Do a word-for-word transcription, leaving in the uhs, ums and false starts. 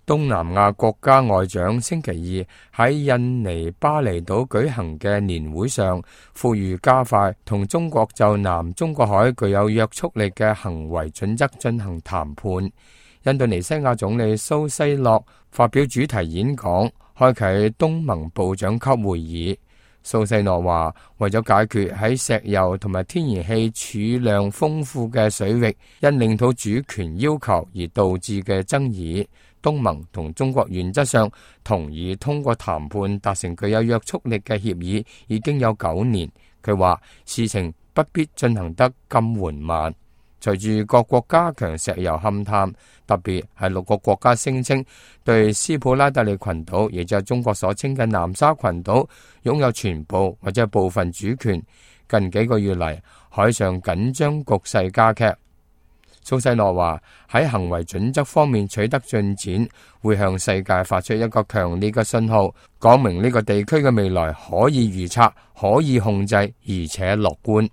東南亞國家外長星期二喺印尼巴厘島舉行嘅年會上，呼籲加快同中國就南中國海具有約束力嘅行為準則進行談判。印度尼西亞總理蘇西諾發表主題演講，開啟東盟部長級會議。蘇西諾話，為咗解決喺石油同埋天然氣儲量豐富嘅水域因領土主權要求而導致嘅爭議，東盟同中國原則上同意通過談判達成具有約束力嘅協議已經有九年。佢話事情不必進行得咁緩慢。隨住各國加強石油勘探，特別係六個國家聲稱對斯普拉特利群島，亦就係中國所稱嘅南沙群島，擁有全部或者部分主權。近幾個月嚟，海上緊張局勢加劇。蘇西諾話喺行為準則方面取得進展，會向世界發出一個強烈嘅信號，講明呢個地區嘅未來可以預測、可以控制，而且樂觀。